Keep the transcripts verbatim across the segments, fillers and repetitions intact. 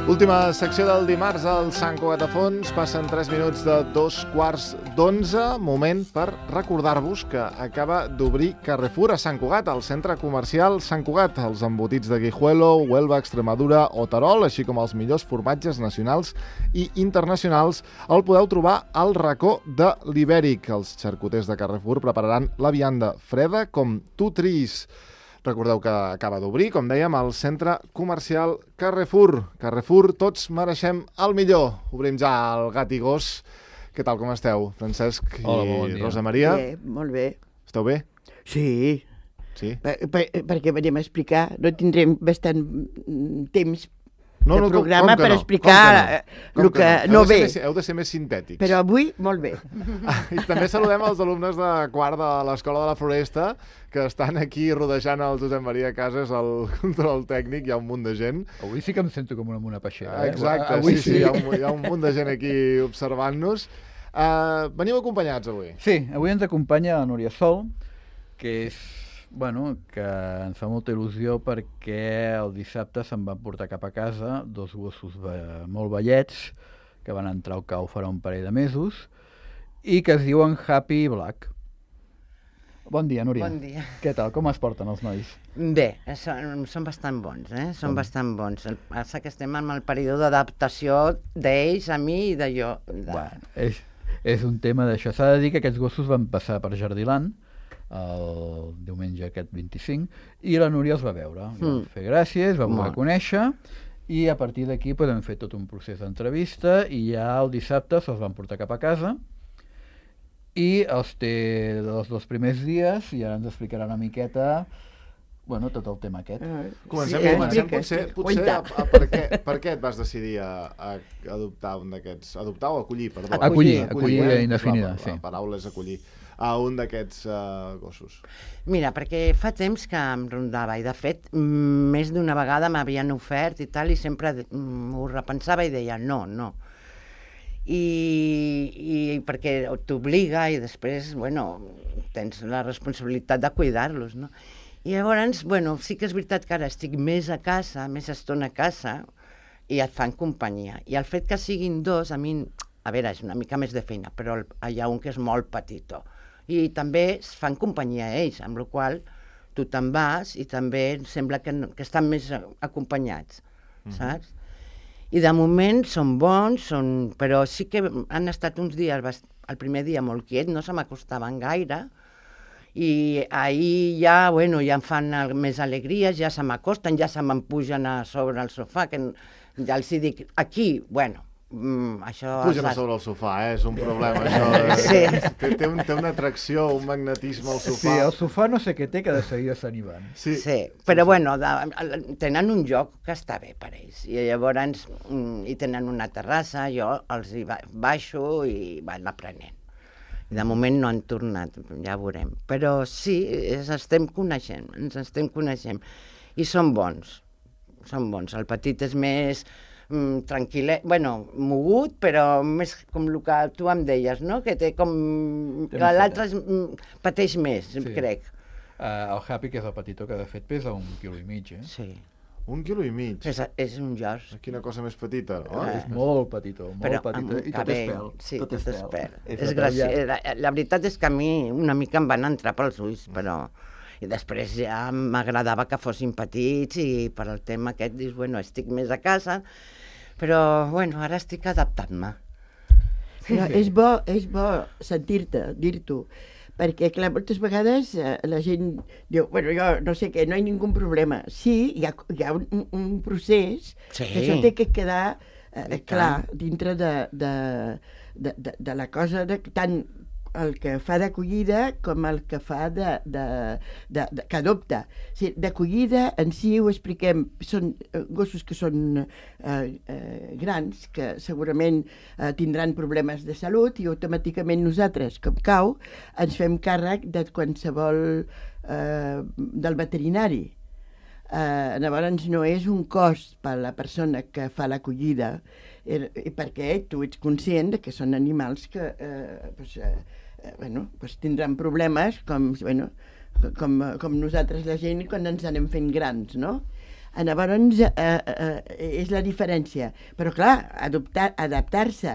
Última secció del dimarts al Sant Cugat a Fons. Passen tres minuts de dos quarts d'onze. Moment per recordar-vos que acaba d'obrir Carrefour a Sant Cugat, al centre comercial Sant Cugat. Els embotits de Guijuelo, Huelva, Extremadura o Terol, així com els millors formatges nacionals i internacionals, el podeu trobar al racó de l'Ibèric. Els xarcuters de Carrefour prepararan la vianda freda com tu triïs. Recordeu que acaba d'obrir, com dèiem, al centre comercial Carrefour. Carrefour, tots mereixem el millor. Obrim ja el gat i gos. Què tal, com esteu, Francesc i Hola, bon dia. Rosa Maria? Bé, molt bé. Esteu bé? Sí, Sí? per, per, perquè venim a explicar, no tindrem bastant mm, temps No, de no, com- programa com que per no? explicar Com eh, Com el que Heu no de ser ve, més- Heu de ser més sintètics. però avui molt bé. I també saludem els alumnes de quart de l'Escola de la Floresta, que estan aquí rodejant el Josep Maria Casas, el control tècnic. Hi ha un munt de gent. Avui sí que em sento com una mona peixera. Eh? Exacte, Avui sí, sí, hi ha, un, hi ha un munt de gent aquí observant-nos. Uh, veniu acompanyats avui. Sí, avui ens acompanya la Núria Sol, que és, bueno, que ens fa molta il·lusió perquè el dissabte se'n van portar cap a casa dos gossos ve molt vellets que van entrar al cau farà un parell de mesos i que es diuen Happy i Black. Bon dia, Núria. Bon dia. Què tal? Com es porten els nois? Bé, són, són bastant bons, eh? Són Com? bastant bons. El que passa que estem en el període d'adaptació d'ells a mi i de jo. De... Bueno, és, és un tema d'això. S'ha de dir que aquests gossos van passar per Jardiland el diumenge aquest vint-i-cinc i la Núria els va veure, li van Mm. fer gràcies, va voler Molt. conèixer i a partir d'aquí podem fer tot un procés d'entrevista i ja el dissabte se'ls van portar cap a casa i els té dels dos primers dies i ara ens explicarà una miqueta, bueno, tot el tema aquest. Comencem, Sí, comencem explica, potser, explica. potser a, Cuenta. a, per, què, per què et vas decidir a, a adoptar un d'aquests... Adoptar o acollir, perdó. Acollir, acollir, eh? indefinida, La, sí. la paraula és acollir a un d'aquests uh, gossos. Mira, perquè fa temps que em rondava i, de fet, mm, més d'una vegada m'havien ofert i tal, i sempre mm, ho repensava i deia no, no. I, i perquè t'obliga i després, bueno, tens la responsabilitat de cuidar-los, no? I llavors, bueno, sí que és veritat que ara estic més a casa, més estona a casa, i et fan companyia. I el fet que siguin dos, a mi, a veure, és una mica més de feina, però el- hi ha un que és molt petitó. I també es fan companyia a ells, amb la qual cosa tu te'n vas i també em sembla que, no- que estan més a- acompanyats, saps? I de moment són bons, són... però sí que han estat uns dies, bast- el primer dia molt quiet, no se m'acostaven gaire, i ahir ja, bueno, ja em fan al- més alegries, ja se m'acosten, ja se me'n pugen a sobre el sofà, que n- ja els hi dic, aquí, bueno, mm, això... Pugen a has- sobre el sofà, eh? És un problema, això. Sí. Té, té, un, té una atracció, un magnetisme al Sí, sofà. el sofà no sé què té, que de seguida se n'hi van. Sí, Sí, però bueno, de, tenen un lloc que està bé per ells, i llavors mm, hi tenen una terrassa, jo els hi ba baixo i van aprenent. I de moment no han tornat, ja veurem. Però sí, ens estem coneixent, ens estem coneixent. I són bons, són bons. El petit és més mm, tranquil·let, bueno, mogut, però més com el que tu em deies, no? Que té com... Té que més l'altre és, mm, pateix més, Sí. crec. Uh, el Happy, que és el petitó, que de fet pesa un quilo i mig, eh? Sí. un quilo i mig. És, és un George. Quina cosa més petita, no? Eh. És molt petitó, molt Però petitó, amb un i tot és cabell, pèl. sí, tot, és pèl. És És la graci... talla- la, la veritat és que a mi una mica em van entrar pels ulls, però... I després ja m'agradava que fossin petits i per al tema aquest dius, bueno, estic més a casa, però, bueno, ara estic adaptant-me. Però és bo, és bo sentir-te, dir-t'ho, perquè, clar, moltes vegades eh, la gent diu, bueno, jo no sé què, no hi ha ningú problema. Sí, hi ha, hi ha un, un procés Sí. que això té que quedar eh, I clar tant. dintre de, de, de, de, de la cosa, de, tant el que fa d'acollida com el que fa de, de, de, de que adopta. O sigui, d'acollida en si ho expliquem, són eh, gossos que són eh, eh, grans, que segurament eh, tindran problemes de salut i automàticament nosaltres, com cau, ens fem càrrec de qualsevol eh, del veterinari. Eh, llavors no és un cost per a la persona que fa l'acollida, er, perquè tu ets conscient de que són animals que eh, pues, eh, eh, bueno, pues tindran problemes com, bueno, com, com nosaltres la gent quan ens anem fent grans, no? Llavors, eh, eh, és la diferència. Però, clar, adoptar, adaptar-se.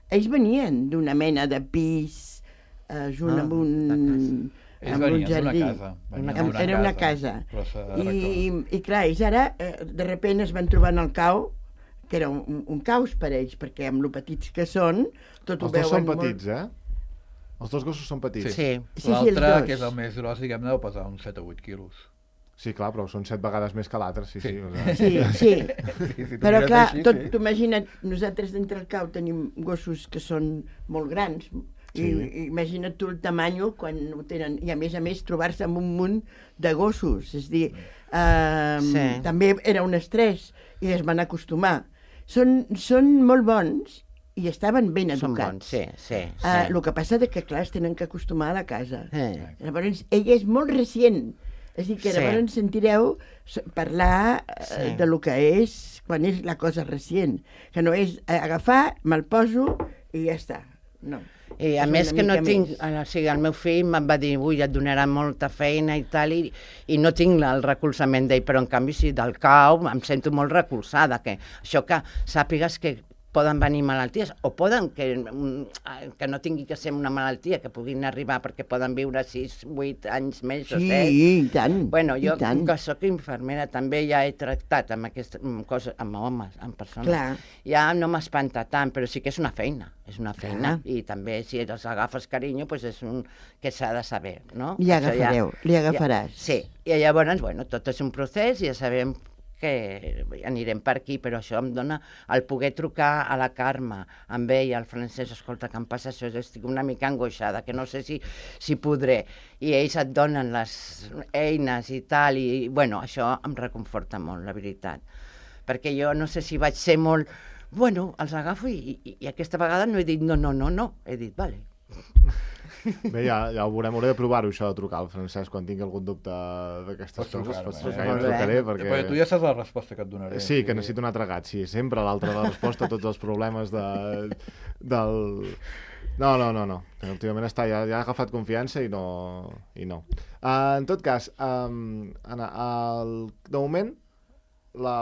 Ells venien d'una mena de pis, eh, junt Ah, amb un, Ells amb un venien d'una jardí. casa. venien Amb- d'una Era una casa. però s'ha I, arreglat. I, clar, ells ara, eh, de sobte es van trobar en el cau, que era un, un caos per ells, perquè amb lo petits que són, tot ho Els dos veuen són molt... petits, eh? Els dos gossos són petits. Sí. Sí, sí, els L'altre, dos. que és el més gros, diguem-ne, deu pesar uns set o vuit quilos. Sí, clar, però són set vegades més que l'altre, sí, sí. Sí. O sigui, Sí, sí. Sí, si tu Però mires clar, així, tot, sí. t'ho imagina't, nosaltres dintre el cau tenim gossos que són molt grans, Sí. i, i imagina't tu el tamanyo quan ho tenen, i a més a més trobar-se amb un munt de gossos, és dir, eh, Sí. també era un estrès i es van acostumar. Són, són molt bons i estaven ben Són educats. bons, sí, sí. sí. Eh, el que passa és que, clar, es tenen que acostumar a la casa. Eh. Llavors, ella és molt recient. És a dir, que Sí. llavors sentireu s- parlar eh, Sí. de lo que és quan és la cosa recient. Que no és eh, agafar, me'l poso i ja està. No. I a És més una que no mica tinc, més. o sigui, el meu fill em va dir, ui, et donarà molta feina i tal, i, i no tinc el recolzament d'ell, però en canvi sí, del cau em sento molt recolzada, que això que sàpigues que poden venir malalties, o poden que, mm, que no tingui que ser una malaltia, que puguin arribar perquè poden viure sis, vuit anys més o Sí, set. i tant. Bueno, jo, i tant. que sóc infermera, també ja he tractat amb aquestes amb coses, amb homes, amb persones. Clar. Ja no m'espanta tant, però sí que és una feina, és una feina. Clar. I també, si els agafes carinyo, doncs és un que s'ha de saber, no? Li Això agafareu, li agafaràs. Ja, sí, i llavors, bueno, tot és un procés i ja sabem que anirem per aquí, però això em dona el poder trucar a la Carme, amb ella, al Francesc, escolta, que em passa això, jo estic una mica angoixada, que no sé si, si podré, i ells et donen les eines i tal, i bueno, això em reconforta molt, la veritat, perquè jo no sé si vaig ser molt, bueno, els agafo i, i, i aquesta vegada no he dit no, no, no, no, he dit, vale. Bé, ja, ja ho veurem, hauré de provar-ho, això de trucar al Francesc quan tingui algun dubte d'aquestes Pots coses. trucar-me, Pots eh? trucar, ja Molt em trucaré, bé. perquè... Perquè tu ja saps la resposta que et donaré. Sí, que necessito un altre gat, sí, sempre l'altre de resposta a tots els problemes de, del... No, no, no, no. Últimament està, ja, ja ha agafat confiança i no... I no. Uh, en tot cas, um, Anna, el, de moment, la,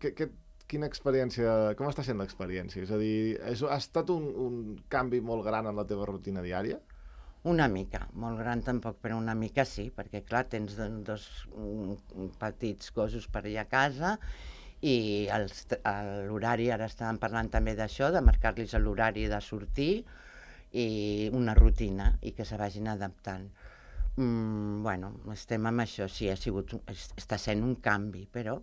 que, que, quina experiència, com està sent l'experiència? És a dir, és, ha estat un, un canvi molt gran en la teva rutina diària? Una mica, molt gran tampoc, però una mica sí, perquè clar, tens do- dos mm, petits gossos per allà a casa i els t- a l'horari, ara estàvem parlant també d'això, de marcar-los l'horari de sortir i una rutina i que se vagin adaptant. Mm, bueno, estem amb això, sí, ha sigut, un- es- està sent un canvi, però,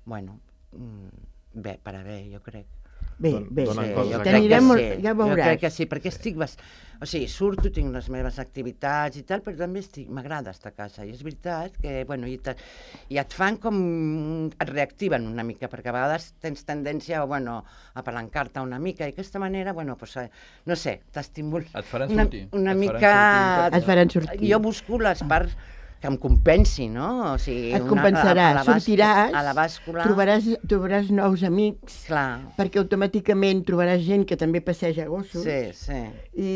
bueno, mm, bé, per a bé, jo crec. Bé, Don- bé, donen sí, coses jo a crec casa. que molt, sí, ja jo veuràs. crec que sí, perquè estic... Bas... O sigui, surto, tinc les meves activitats i tal, però també estic... m'agrada estar a casa. I és veritat que, bueno, i, te... i et fan com... et reactiven una mica, perquè a vegades tens tendència, bueno, a palancar-te una mica, i d'aquesta manera, bueno, pues, eh, no sé, t'estimulo... Et faran una, sortir. una Et faran mica... sortir. Et faran sortir. Jo busco les parts que em compensi, no? O sigui, Et una- compensarà, a la bàs- sortiràs, a la bàscula... trobaràs, trobaràs nous amics, Clar, perquè automàticament trobaràs gent que també passeja gossos, sí, sí. i,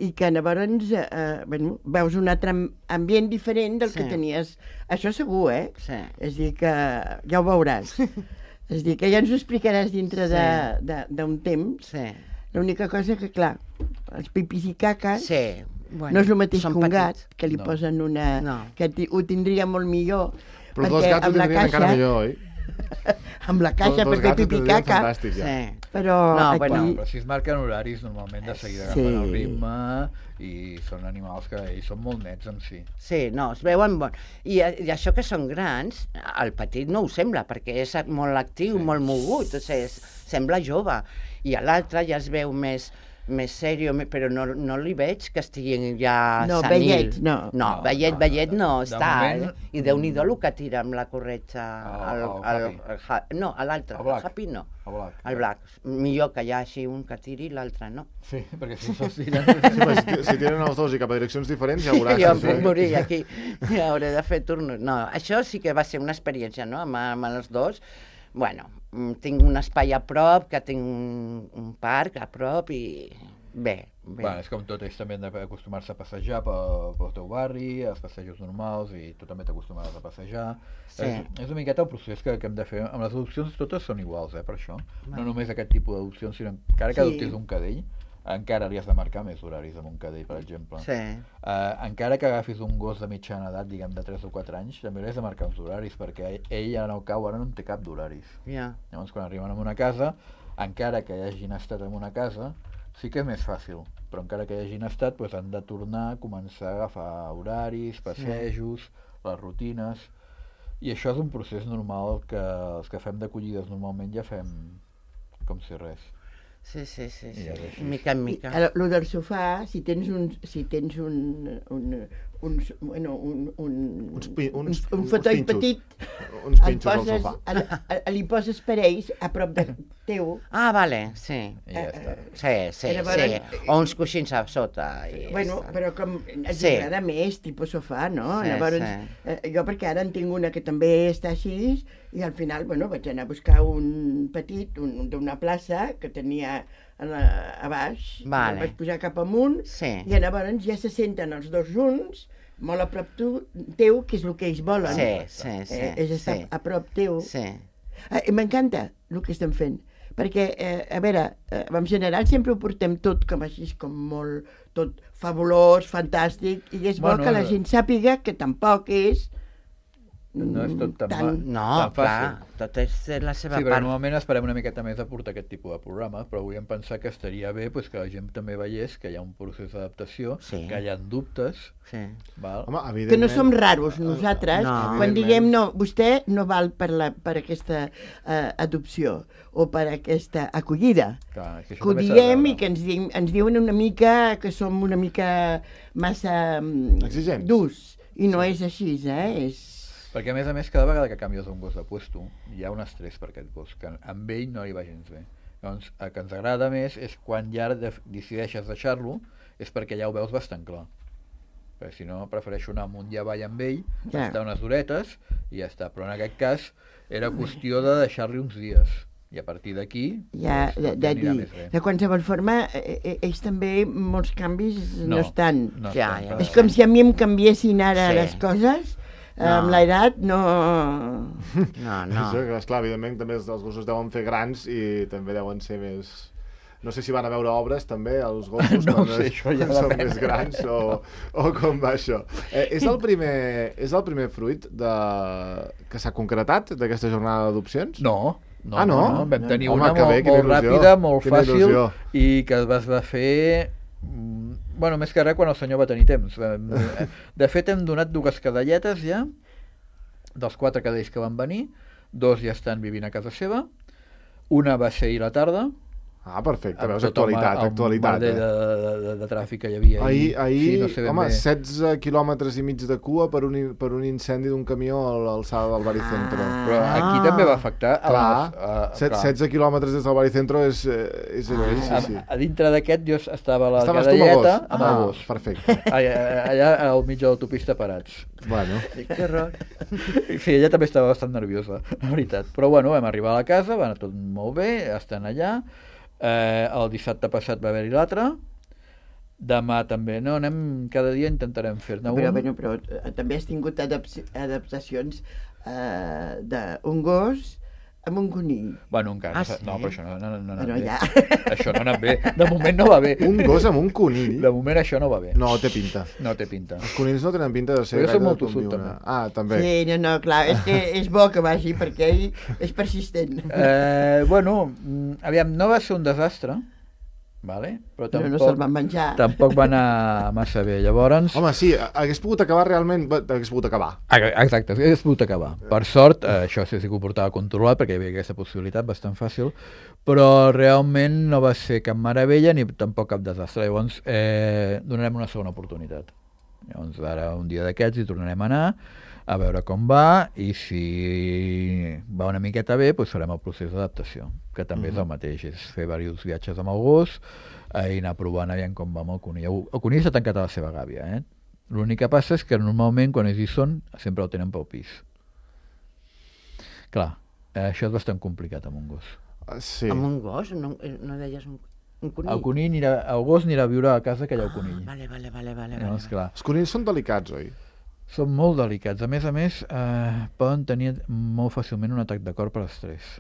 i que llavors eh, bueno, veus un altre am- ambient diferent del Sí. que tenies. Això segur, eh? Sí. És a dir, que ja ho veuràs. És a dir, que ja ens ho explicaràs dintre Sí. de- de- d'un temps. Sí, L'única cosa que, clar, els pipis i caques sí. Bueno, no és el mateix són que un gat, petits. que li No. posen una... No. que ti- ho tindria molt millor. Però dos gats ho amb la tindrien encara millor, oi? amb la caixa Dos per fer gats ho pipi i tindrien caca, fantàstic, ja. Sí. però No, aquí... bueno, Però si es marquen horaris, normalment de seguida Sí. agafen el ritme i són animals que ells són molt nets en si. Sí, no, es veuen bon. I, I això que són grans, el petit no ho sembla, perquè és molt actiu, Sí. molt mogut, o sigui, és, sembla jove. I a l'altre ja es veu més més sèrio, me- però no, no li veig que estigui ja No, senil. vellet, no. No, No, vellet, no, vellet de- no de està. moment- eh? I Déu-n'hi-do el que tira amb la corretja. El- El, el el, Happy. el, Ha- no, a l'altre, El el, Black. Happy no. El Black. El Black. Millor que hi hagi un que tiri i l'altre no. Sí, perquè si se'ls tiren... Sí, però si, si tiren els dos i cap a direccions diferents, ja veuràs. Jo em sí. puc morir aquí, ja hauré de fer turnos. No, això sí que va ser una experiència, no?, amb, amb els dos. Bueno, mm, tinc un espai a prop, que tinc un, un parc a prop i, bé, bé. Bueno, és com tot, ells també han d'acostumar-se a passejar pel, pel teu barri, als passejos normals, i tu també t'acostumaràs a passejar. Sí. És, és una miqueta el procés que, que hem de fer. Amb les adopcions totes són iguals, eh, per això. Va. No només aquest tipus d'adopcions, sinó encara que Sí. adoptis un cadell, encara li has de marcar més horaris amb un cadell, per exemple. Sí. Uh, encara que agafis un gos de mitjana edat, diguem, de tres o quatre anys, també li has de marcar uns horaris, perquè ell ara no cau, ara no en té cap d'horaris. Ja. Llavors, quan arriben a una casa, encara que hagin estat en una casa, sí que és més fàcil, però encara que hagin estat, doncs han de tornar a començar a agafar horaris, passejos, les rutines, i això és un procés normal que els que fem d'acollides normalment ja fem com si res. Sí, sí, sí, sí. I és així. mica en I, mica. ara, lo del sofà, si tens un, si tens un, un, un, bueno, un, un, Uns pi- uns- un, un uns fotoll pinxos. petit, Uns el pinxos al poses, sofà. el, el, li poses parells a prop de teu. Ah, vale, sí. I ja està. Sí, sí, Era per- sí. O uns coixins a sota. I Bueno, ja està. però com ens Sí. agrada més, tipus sofà, no? Sí, Llavors, sí. eh, jo perquè ara en tinc una que també està així, i al final, bueno, vaig anar a buscar un petit, un, d'una plaça que tenia a, la, a baix, Vale. el vaig posar cap amunt, Sí. i llavors ja se senten els dos junts, molt a prop tu, teu, que és el que ells volen. Sí, sí, sí. Eh, és estar sí. a prop teu. Sí. Eh, M'encanta el que estem fent, perquè, eh, a veure, eh, en general sempre ho portem tot com així, com molt, tot fabulós, fantàstic, i és bo Bueno, que la eh, gent sàpiga que tampoc és No és tot tan, Tant. ma- No, tan clar, fàcil. tot és la seva Sí, però part. normalment esperem una miqueta més de portar aquest tipus de programes, però volíem pensar que estaria bé pues, que la gent també veiés que hi ha un procés d'adaptació, Sí. que hi ha dubtes, Sí. val? Home, que evidentment... no som raros nosaltres, No. quan diguem no, vostè no val per, la, per aquesta eh, adopció o per aquesta acollida. Clar, és que això Que ho també s'ha de diem veure. i que ens, di ens diuen una mica que som una mica massa mm, Exigents. durs, i no és així, eh? És... Perquè a més a més, cada vegada que canvies un gos de puesto, hi ha un estrès per aquest gos, que amb ell no li va gens bé. Llavors, el que ens agrada més és quan ja de decideixes deixar-lo, és perquè ja ho veus bastant clar. Perquè si no, prefereixo anar amunt i avall amb ell, Ja. estar unes horetes i ja està. Però en aquest cas era qüestió de deixar-li uns dies. I a partir d'aquí, Ja, doncs, de, tot de anirà dir, més bé. de qualsevol forma, eh, eh, ells també, molts canvis no, No, estan. No Ja, estan ja. per- És com si a mi em canviessin ara Sí. les coses, No. amb l'edat no... No, No. no. Això, que, esclar, evidentment també els els gossos deuen fer grans i també deuen ser més... No sé si van a veure obres també, els gossos, No quan ho sé, es- això ja són depèn. més grans, o, o com va això. Eh, és, el primer, és el primer fruit de... que s'ha concretat d'aquesta jornada d'adopcions? No, no, Ah, no? no, no. Vam tenir Home, una que molt, bé, quina molt il·lusió, ràpida, molt quina fàcil, il·lusió. i que es va fer, mm, bueno, més que res quan el senyor va tenir temps. Vam- De fet, hem donat dues cadelletes ja, dels quatre cadells que van venir, dos ja estan vivint a casa seva, una va ser ahir a la tarda, Ah, perfecte, amb veus tot el actualitat, ma- el actualitat. merder Eh? de, de, de, de tràfic que hi havia Ahir, ahir Sí, no sé ben home, bé. setze quilòmetres i mig de cua per un, in- per un incendi d'un camió a l'alçada del Baricentro. Ah. Però aquí també va afectar a Clar, les- a- set, clar. setze quilòmetres des del Baricentro és, eh, és allò, sí, A, sí. a dintre d'aquest jo estava a la Estaves tu amb el gos? cadelleta amb el Ah, gos. perfecte. Allà, allà al mig de l'autopista parats. Bueno, Que horror. Sí, ella també estava bastant nerviosa, la veritat. Però bueno, vam arribar a la casa, va anar tot molt bé, estan allà. Eh, el dissabte passat va haver-hi l'altre. Demà també, no, anem, cada dia intentarem fer-ne un. Però, bueno, però eh, també has tingut adap- adaptacions eh, d'un gos amb un conill. Bueno, encara, Ah, no, sí? no, però això no, no, no, no ha anat Bueno, bé. ja. Això no ha anat bé. De moment no va bé. un gos amb un conill? De moment això no va bé. No, té pinta. No té pinta. Els conills no tenen pinta de ser Però jo soc gaire molt de tossut, conviure. també. Ah, també. Sí, no, no, clar, és que és bo que vagi perquè ell és persistent. Eh, bueno, mm, aviam, no va ser un desastre, vale? Però Però tampoc, no se'l van menjar. tampoc va anar massa bé. Llavors, Home, sí, hagués pogut acabar realment... bé, Hagués pogut acabar. Ah, exacte, hagués pogut acabar. Per sort, eh, això sí que ho portava controlat perquè hi havia aquesta possibilitat bastant fàcil, però realment no va ser cap meravella ni tampoc cap desastre. Llavors, eh, donarem una segona oportunitat. Llavors, ara un dia d'aquests hi tornarem a anar a veure com va i si va una miqueta bé, doncs farem el procés d'adaptació, que també és el mateix, és fer diversos viatges amb el gos eh, i anar provant aviam com va amb el conill. El- El conill s'ha tancat a la seva gàbia, eh? L'únic que passa és que normalment quan ells hi són sempre el tenen pel pis. Clar, eh, això és bastant complicat amb un gos. Ah, sí. Amb un gos? No, eh, no deies un... Un conill. El conill anirà, el gos anirà a viure a casa que hi ha el conill. Ah, vale, vale, vale, vale, Llavors, vale. clar, Els conills són delicats, oi? són molt delicats. A més a més, eh, poden tenir molt fàcilment un atac de cor per estrès.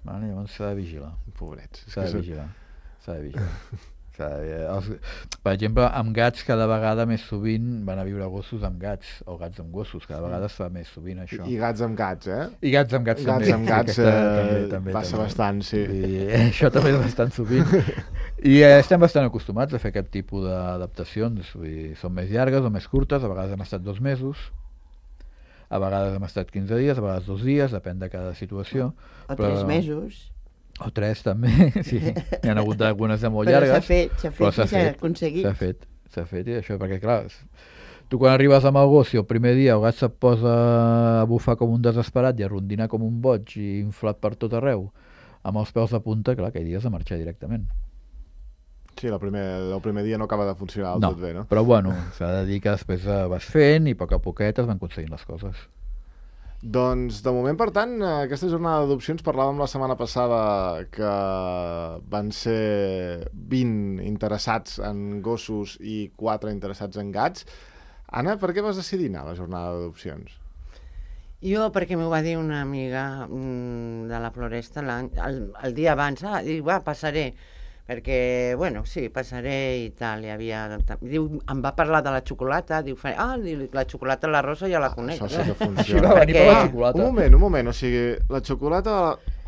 Vale? Llavors s'ha de vigilar. Pobrets. És S'ha que de són- vigilar. S'ha de vigilar. S'ha de... Els... Per exemple, amb gats cada vegada més sovint van a viure gossos amb gats, o gats amb gossos, cada vegada es fa més sovint això. I gats amb gats, eh? I gats amb gats, Gats també. amb gats Aquesta eh, també, també, passa també. bastant, sí. I això també és bastant sovint. I eh, estem bastant acostumats a fer aquest tipus d'adaptacions. Vull dir, són més llargues o més curtes, a vegades hem estat dos mesos, a vegades hem estat quinze dies, a vegades dos dies, depèn de cada situació. O tres mesos. O tres també, sí. N'hi ha hagut algunes de molt Però llargues. s'ha fet, s'ha però fet i s'ha aconseguit. S'ha fet, s'ha fet, i això, perquè clar, tu quan arribes amb el gos, si el primer dia el gat se't posa a bufar com un desesperat i a rondinar com un boig i inflat per tot arreu, amb els peus de punta, clar, aquell dia has de marxar directament. Sí, el primer, el primer dia no acaba de funcionar del No, tot bé, no? però bueno, s'ha de dir que després eh, vas fent i a poc a poquet es van aconseguint les coses. Doncs, de moment, per tant, aquesta jornada d'adopcions parlàvem la setmana passada que van ser vint interessats en gossos i quatre interessats en gats. Anna, per què vas decidir anar a la jornada d'adopcions? Jo, perquè m'ho va dir una amiga mm, de la Floresta el, el dia abans, ah, diu, va, passaré, perquè, bueno, sí, passaré i tal, hi havia... Diu, em va parlar de la xocolata, diu, ah, la xocolata la Rosa ja la conec. Això sí que Així funciona. va venir per la Ah, xocolata. un moment, un moment, o sigui, la xocolata...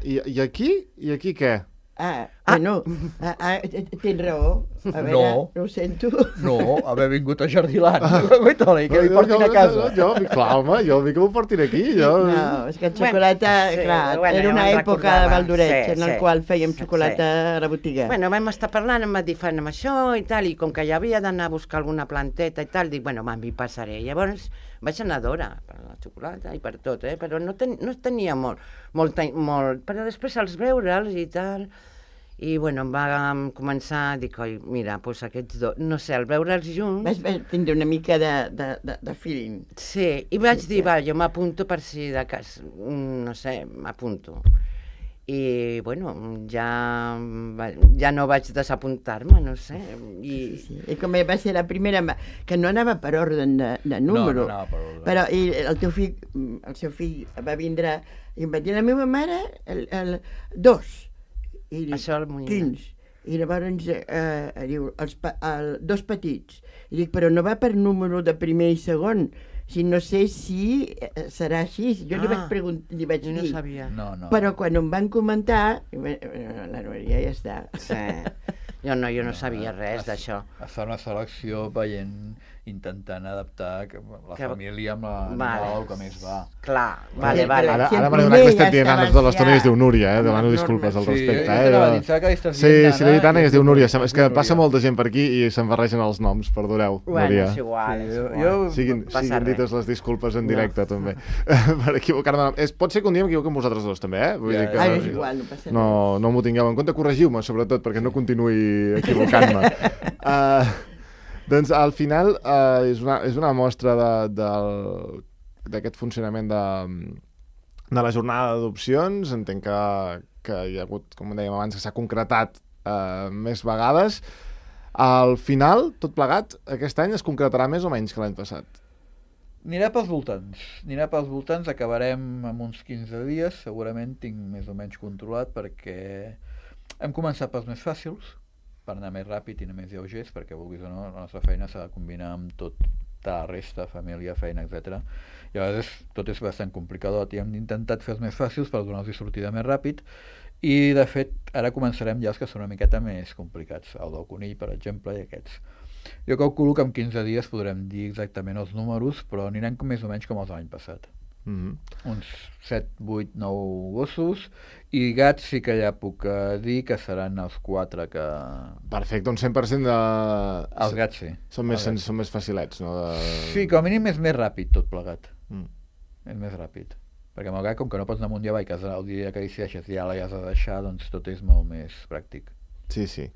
I, i aquí? I aquí què? Ah, bueno, ah, ah, tens raó. A veure, No. no ho sento. No, haver vingut a Jardiland, i que li portin a casa. Jo, jo, clar, home, jo vull que m'ho portin aquí. Jo... No, és que el xocolata, Bueno, sí, clar, bueno, era ja una me'n època de recordava, Valdoreig sí, en el sí, qual fèiem sí. xocolata a la botiga. Bueno, vam estar parlant, em va dir, fem això i tal, i com que ja havia d'anar a buscar alguna planteta i tal, dic, bueno, m'hi passaré. Llavors vaig anar d'hora per la xocolata i per tot, eh? Però no, ten, no tenia molt, molt, molt... Però després als veure'ls i tal... I, bueno, em va començar a dir, coi, mira, doncs aquests dos... No sé, al veure'ls junts... Vas, vas tindre una mica de, de, de, de feeling. Sí, i vaig Sí, dir, sí. va, jo m'apunto per si de cas... mm, No sé, m'apunto. I, bueno, ja, va- ja no vaig desapuntar-me, no sé. I, Sí, sí. I com va ser la primera, ma- que no anava per ordre de, de número. No, no anava per ordre. Però i el teu fill, el seu fill va vindre i em va dir, la meva mare, el, el, dos. I dic, Això el Moïna. quins? I llavors eh, diu, els, pa- el, dos petits. I dic, però no va per número de primer i segon, si no sé si eh, serà així. Jo li Ah, vaig preguntar, li vaig jo no dir, sabia. No, no. però quan em van comentar, eh, la Núria ja està. Sí. Jo no, jo no sabia res es- d'això. Es fa una selecció veient, intentant adaptar que la Que- família amb l'animal Vale. el que més va. Clar, Sí, vale, vale. Ara, Si el ara m'ha donat primer que ja estem dient estava nanes de l'estona i es diu ja Núria, eh? amb Demano les disculpes al normes. Sí, respecte. jo eh? t'anava a dir, saps que estàs Sí, dient sí, l'he dit Anna i es diu Núria. És que Núria. passa molta gent per aquí i se'n barregen els noms, perdoneu, Bueno, Núria. és igual, Sí, és jo- igual. jo- Siguin, no passa siguin res. dites les disculpes en No. directe, també, per equivocar-me. És, pot ser que un dia m'equivoqui amb vosaltres dos, també, eh? Vull Ja, dir que Ah, no, és igual, no passa no, no m'ho tingueu en compte. Corregiu-me, sobretot, perquè no continuï equivocant-me. uh, doncs, al final, uh, és, una, és una mostra de, del- d'aquest funcionament de, de la jornada d'adopcions. Entenc que, que hi ha hagut, com dèiem abans, que s'ha concretat uh, més vegades. Al final, tot plegat, aquest any es concretarà més o menys que l'any passat. Anirà pels voltants. Anirà pels voltants, acabarem amb uns quinze dies, segurament tinc més o menys controlat perquè hem començat pels més fàcils, per anar més ràpid i anar més lleugers, perquè vulguis o no, la nostra feina s'ha de combinar amb tot, tota la resta, família, feina, etcètera. I a vegades tot és bastant complicadot i hem intentat fer els més fàcils per donar-los sortida més ràpid i de fet ara començarem ja els que són una miqueta més complicats, el del conill per exemple i aquests. Jo calculo que en quinze dies podrem dir exactament els números, però anirem com més o menys com els de l'any passat. Mm -hmm. Uns set, vuit, nou gossos i gats sí que ja puc eh, dir que seran els quatre que... Perfecte, un cent per cent de... Els gats sí. Són més, Els gats. són més facilets, no? De... Sí, com a mínim és més ràpid tot plegat. Mm. És més ràpid. Perquè amb el gat, com que no pots anar amunt i avall, que el dia que decideixes ja l'has de deixar, doncs tot és molt més pràctic. Sí, sí.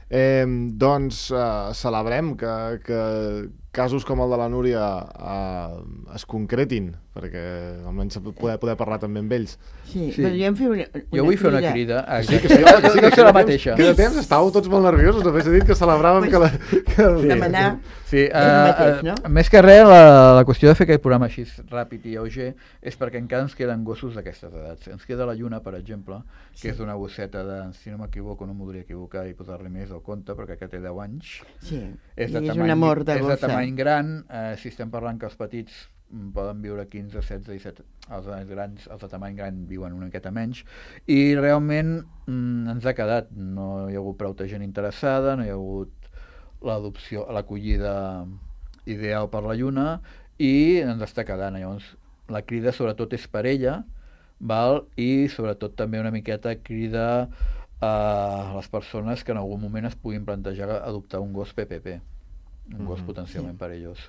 Eh, doncs eh, celebrem que, que, casos com el de la Núria eh, es concretin, perquè almenys poder, poder parlar també amb ells. Sí, Sí. podríem fer una, una Jo vull fer una crida. Sí, que Exacte. sí, home, que sí, No que sé la queda mateixa. temps- Queda temps, estàveu tots molt nerviosos, només he dit que celebràvem que la... Que el... demanar... Sí, el mateix, uh, no? uh, més que res, la, la qüestió de fer aquest programa així ràpid i lleuger és perquè encara ens queden gossos d'aquestes edats. Ens queda la Lluna, per exemple, que és d'una gosseta de, si no m'equivoco, no m'ho podria equivocar i posar-li més al compte, perquè aquest té deu anys. Sí, És, i de és tamany, un amor de és de gossa. tamany gran, eh, si estem parlant que els petits mm, poden viure quinze, setze, disset, els grans, els de tamany gran viuen una miqueta menys, i realment mm, ens ha quedat, no hi ha hagut prou gent interessada, no hi ha hagut l'adopció, l'acollida ideal per la Lluna, i ens està quedant. Llavors, la crida sobretot és per ella, val? I sobretot també una miqueta crida a les persones que en algun moment es puguin plantejar adoptar un gos P P P, un gos Mhm. potencialment Sí. perillós.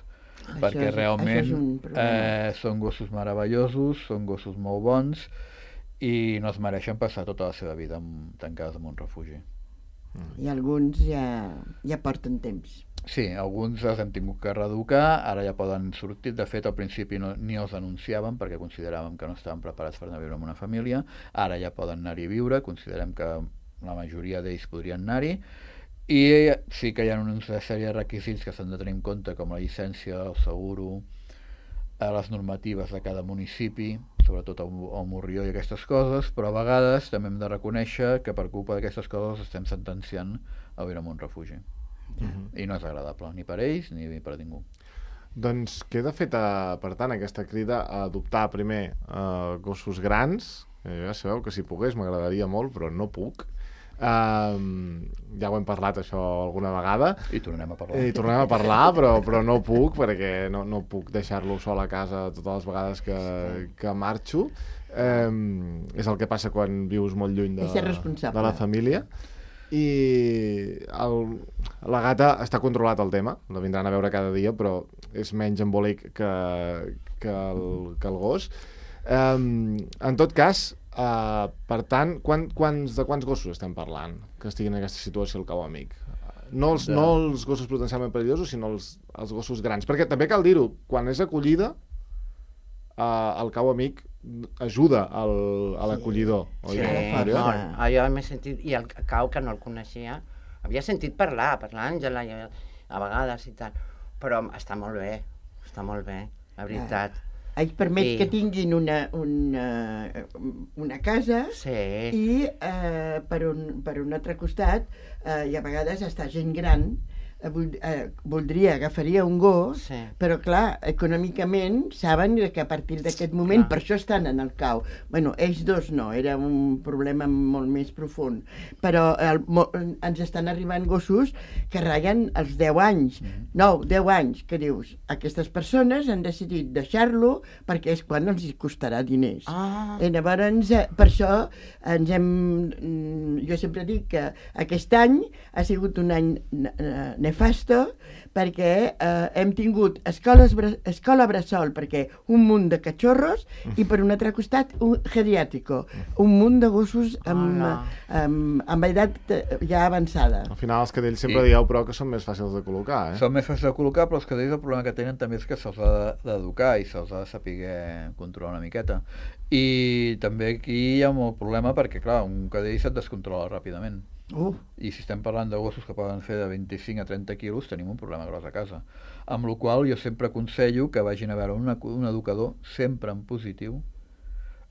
Això Perquè és- realment això és un problema. eh, són gossos meravellosos, són gossos molt bons i no es mereixen passar tota la seva vida en, tancats en un refugi. I alguns ja, ja porten temps. Sí, alguns els hem tingut que reeducar, ara ja poden sortir. De fet, al principi no, ni els anunciàvem perquè consideràvem que no estaven preparats per anar a viure en una família. Ara ja poden anar-hi a viure, considerem que la majoria d'ells podrien anar-hi. I sí que hi ha una sèrie de requisits que s'han de tenir en compte, com la llicència, el seguro, a les normatives de cada municipi, sobretot el, el Morrió i aquestes coses, però a vegades també hem de reconèixer que per culpa d'aquestes coses estem sentenciant a viure en un refugi. Mhm. I no és agradable, ni per ells ni per ningú. Doncs queda feta, per tant, aquesta crida a adoptar primer uh, gossos grans, que ja sabeu que si pogués m'agradaria molt, però no puc. Um, ja ho hem parlat això alguna vegada I tornem a parlar. i tornem a parlar, però, però no puc perquè no, no puc deixar-lo sol a casa totes les vegades que, que marxo. Um, és el que passa quan vius molt lluny de, És ser responsable. de la família. I el, la gata està controlat el tema, la vindran a veure cada dia, però és menys embolic que, que, el, que el gos. Um, en tot cas, uh, per tant, quan, quants, de quants gossos estem parlant que estiguin en aquesta situació al Cau Amic? No els, De... no els gossos potencialment perillosos, sinó els, els gossos grans. Perquè també cal dir-ho, quan és acollida, uh, el Cau Amic ajuda al, a l'acollidor. Sí, oi? força. molt. Ah, jo m'he sentit, i el Cau, que no el coneixia, havia sentit parlar, per l'Àngela, i a a vegades i tal, però està molt bé, està molt bé, la veritat. Ells permet Sí. que tinguin una, una, una casa Sí, i eh, per, un, per un altre costat eh, i a vegades està gent gran eh, vold, eh, voldria, agafaria un gos, sí. però clar, econòmicament saben que a partir d'aquest moment, Clar. per això estan en el Cau. Bueno, ells dos no, era un problema molt més profund, però el, mo, ens estan arribant gossos que ratllen els deu anys, nou, deu anys, que dius, aquestes persones han decidit deixar-lo perquè és quan els hi costarà diners. Ah, I llavors, eh, per això ens hem... mm, Jo sempre dic que aquest any ha sigut un any ne- ne- nefasto perquè eh, hem tingut escoles, bra- escola bressol perquè un munt de cachorros i per un altre costat un geriàtico, un munt de gossos amb, Hola. amb, amb edat eh, ja avançada. Al final els cadells sempre I- dieu, però, que són més fàcils de col·locar, eh? Són més fàcils de col·locar, però els cadells el problema que tenen també és que se'ls ha de- d'educar i se'ls ha de saber controlar una miqueta. I també aquí hi ha molt problema perquè, clar, un cadell se't descontrola ràpidament. Uh, I si estem parlant de gossos que poden fer de vint-i-cinc a trenta quilos, tenim un problema gros a casa. Amb la qual cosa jo sempre aconsello que vagin a veure una, un educador, sempre en positiu,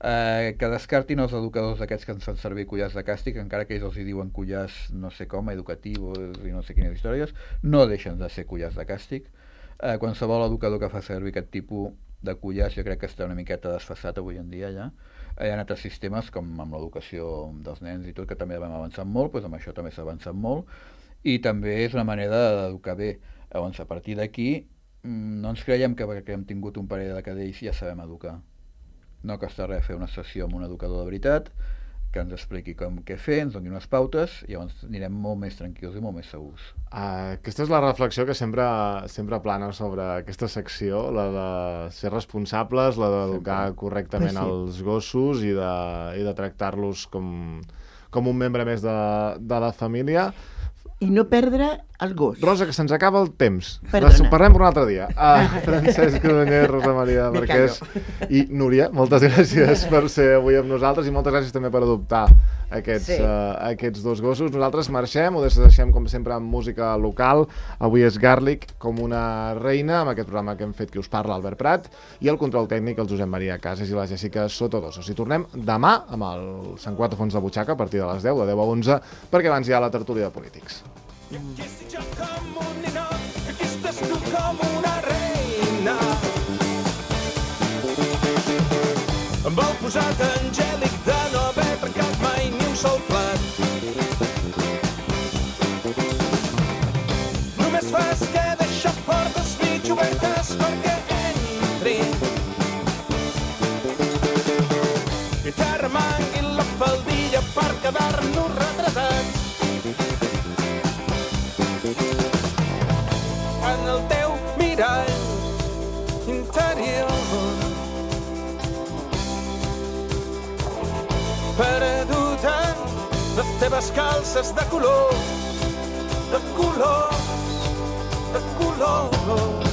eh, que descartin els educadors d'aquests que ens fan servir collars de càstig, encara que ells els hi diuen collars no sé com, educatius i no sé quines històries, no deixen de ser collars de càstig. Eh, qualsevol educador que fa servir aquest tipus de collars jo crec que està una miqueta desfasat avui en dia ja. Hi ha altres sistemes com amb l'educació dels nens i tot, que també vam avançar molt, doncs amb això també s'ha avançat molt, i també és una manera d'educar bé. Llavors, a partir d'aquí, mm, no ens creiem que perquè hem tingut un parell de cadells ja sabem educar. No costa res fer una sessió amb un educador de veritat, que ens expliqui com què fer, ens doni unes pautes, i llavors anirem molt més tranquils i molt més segurs. Uh, aquesta és la reflexió que sempre, sempre plana sobre aquesta secció, la de ser responsables, la d'educar Sempre. correctament Pues sí. els gossos i de, i de tractar-los com, com un membre més de, de la família. i no perdre el gos. Rosa, que se'ns acaba el temps. Perdona. Parlem per un altre dia. Uh, Francesc Codonyer, Rosa Maria Me Marquès i Núria, moltes gràcies per ser avui amb nosaltres i moltes gràcies també per adoptar aquests, Sí. uh, aquests dos gossos. Nosaltres marxem, ho deixem com sempre amb música local. Avui és Garlic com una reina, amb aquest programa que hem fet qui us parla, Albert Prat, i el control tècnic, el Josep Maria Casas i la Jessica Sotodosos. I tornem demà amb el Sant Quatre Fons de Butxaca a partir de les deu, de deu a onze, perquè abans hi ha la tertúlia de polítics. I aquí estic jo com un ninot, i aquí estàs tu com una reina. Amb el posat angèlic de no haver trencat mai ni un sol plat. Només fas que deixar portes mig obertes perquè entrin. I t'arremangui la faldilla per quedar-nos retratats. En el teu mirall interior, perdut en les teves calces de color, de color, de color.